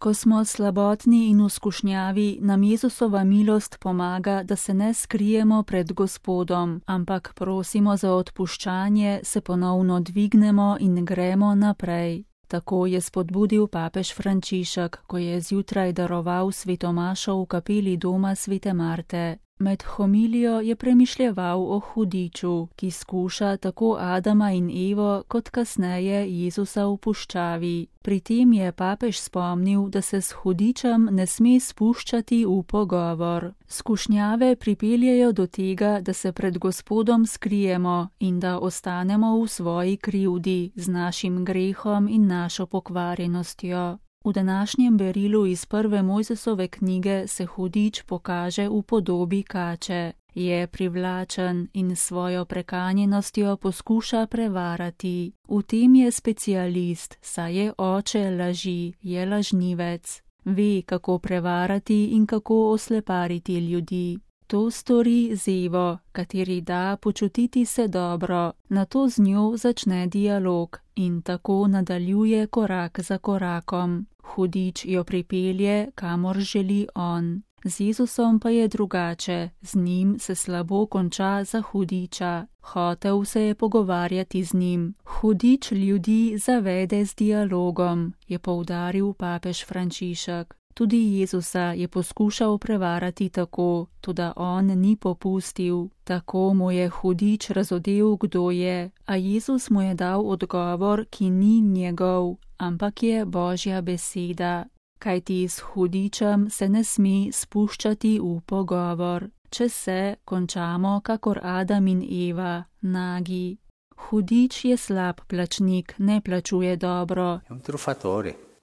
Ko smo slabotni in v skušnjavi, nam Jezusova milost pomaga, da se ne skrijemo pred Gospodom, ampak prosimo za odpuščanje, se ponovno dvignemo in gremo naprej. Tako je spodbudil papež Frančišek, ko je zjutraj daroval svetomašo v kapeli doma svete Marte. Med homilijo je premišljeval o hudiču, ki skuša tako Adama in Evo kot kasneje Jezusa v puščavi. Pri tem je papež spomnil, da se s hudičem ne sme spuščati v pogovor. Skušnjave pripeljejo do tega, da se pred Gospodom skrijemo in da ostanemo v svoji krivdi z našim grehom in našo pokvarjenostjo. V današnjem berilu iz prve Mojzesove knjige se hudič pokaže v podobi kače. Je privlačen in svojo prekanjenostjo poskuša prevarati. V tem je specialist, saj je oče laži, je lažnivec. Ve, kako prevarati in kako oslepariti ljudi. To stori z Evo, kateri da počutiti se dobro, nato z njo začne dialog in tako nadaljuje korak za korakom. Hudič jo pripelje, kamor želi on. Z Jezusom pa je drugače, z njim se slabo konča za hudiča. Hotel se je pogovarjati z njim. Hudič ljudi zavede z dialogom, je poudaril papež Frančišek. Tudi Jezusa je poskušal prevarati tako, toda on ni popustil. Tako mu je hudič razodel, kdo je, a Jezus mu je dal odgovor, ki ni njegov, ampak je Božja beseda. Kajti s hudičem se ne sme spuščati v pogovor. Če se, končamo kakor Adam in Eva, nagi. Hudič je slab plačnik, ne plačuje dobro.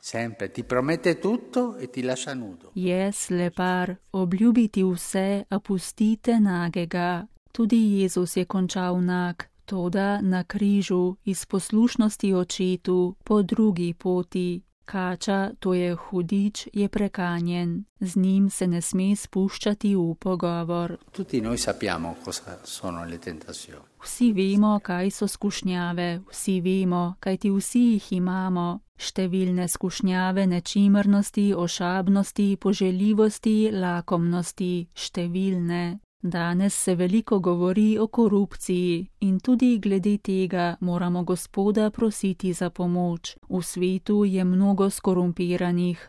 Sempre ti promette tutto e ti lascia nudo. Je slepar, obljubi ti vse, a pusti te nagega. Tudi Jezus je končal nag, toda na križu, iz poslušnosti očetu, po drugi poti. Kača, to je hudič, je prekanjen. Z njim se ne sme spuščati v pogovor. Tutti noi sappiamo cosa sono le tentazioni. Vsi vemo, kaj so skušnjave, vsi vemo, kajti vsi jih imamo. Številne skušnjave nečimrnosti, ošabnosti, poželjivosti, lakomnosti, številne. Danes se veliko govori o korupciji in tudi glede tega moramo Gospoda prositi za pomoč. V svetu je mnogo skorumpiranih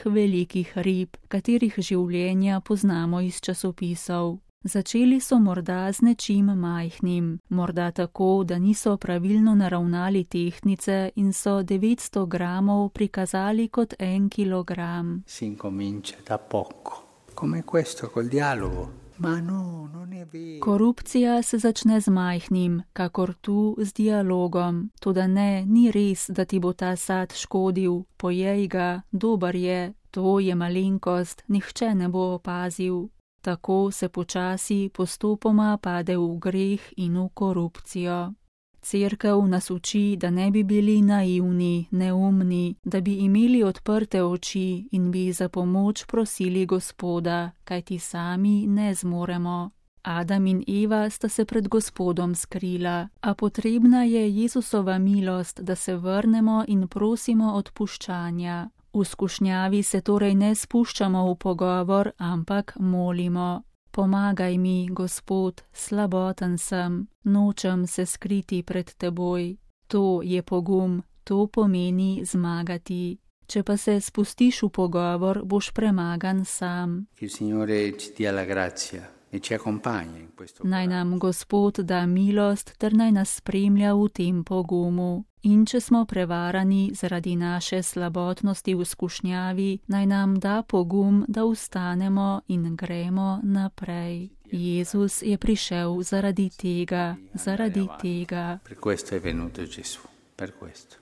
velikih rib, katerih življenja poznamo iz časopisov. Začeli so morda z nečim majhnim, morda tako, da niso pravilno naravnali tehtnice in so 900 gramov prikazali kot 1 kilogram. Si incomincia da poco, come questo col dialogo. Ma no, non è vero. Korupcija se začne z majhnim, kakor tu z dialogom. Toda ne, ni res, da ti bo ta sad škodil, pojej ga, dober je, to je malenkost, nihče ne bo opazil. Tako se počasi postopoma pade v greh in v korupcijo. Cerkev nas uči, da ne bi bili naivni, neumni, da bi imeli odprte oči in bi za pomoč prosili Gospoda, kajti sami ne zmoremo. Adam in Eva sta se pred Gospodom skrila, a potrebna je Jezusova milost, da se vrnemo in prosimo odpuščanja. V skušnjavi se torej ne spuščamo v pogovor, ampak molimo. Pomagaj mi, Gospod, slaboten sem, nočem se skriti pred teboj. To je pogum, to pomeni zmagati. Če pa se spustiš v pogovor, boš premagan sam. Naj nam Gospod da milost ter naj nas spremlja v tem pogumu. In če smo prevarani zaradi naše slabotnosti v skušnjavi, naj nam da pogum, da vstanemo in gremo naprej. Jezus je prišel zaradi tega. Per questo è venuto Gesù, per questo.